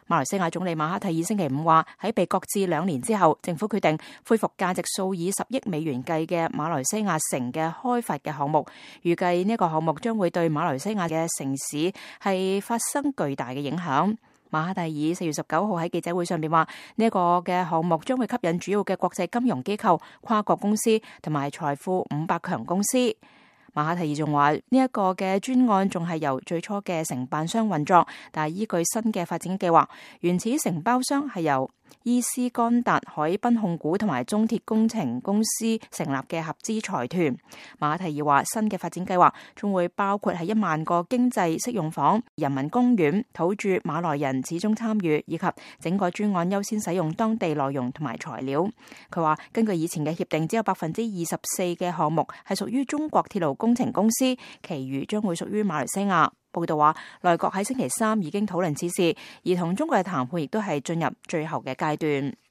馬來西亞總理馬哈蒂爾星期五話，喺被擱置2年之後，政府決定恢復價值數以10億美元計嘅馬來西亞城嘅開發嘅項目，預計呢個項目將會對馬來西亞嘅城市係發生巨大嘅影響。馬哈蒂爾4月19號喺記者會上邊話，呢個嘅項目將會吸引主要嘅國際金融機構、跨國公司同埋財富500強公司。馬哈蒂爾仲話，呢一個嘅專案仲係由最初嘅承辦商運作，但係依據新嘅發展計劃，原始承包商係由伊斯干達海濱控股同埋中鐵工程公司成立嘅合資財團。馬哈蒂爾話，新嘅發展計劃仲會包括係1萬個經濟適用房、人民公園、土著馬來人始終參與，以及整個專案優先使用當地內容同埋材料。佢話，根據以前嘅協定，只有24%嘅項目係屬於中國鐵路工程公司，其餘將會屬於馬來西亞。報道話，內閣喺星期3已經討論此事，而同中國嘅談判亦都係進入最後嘅階段。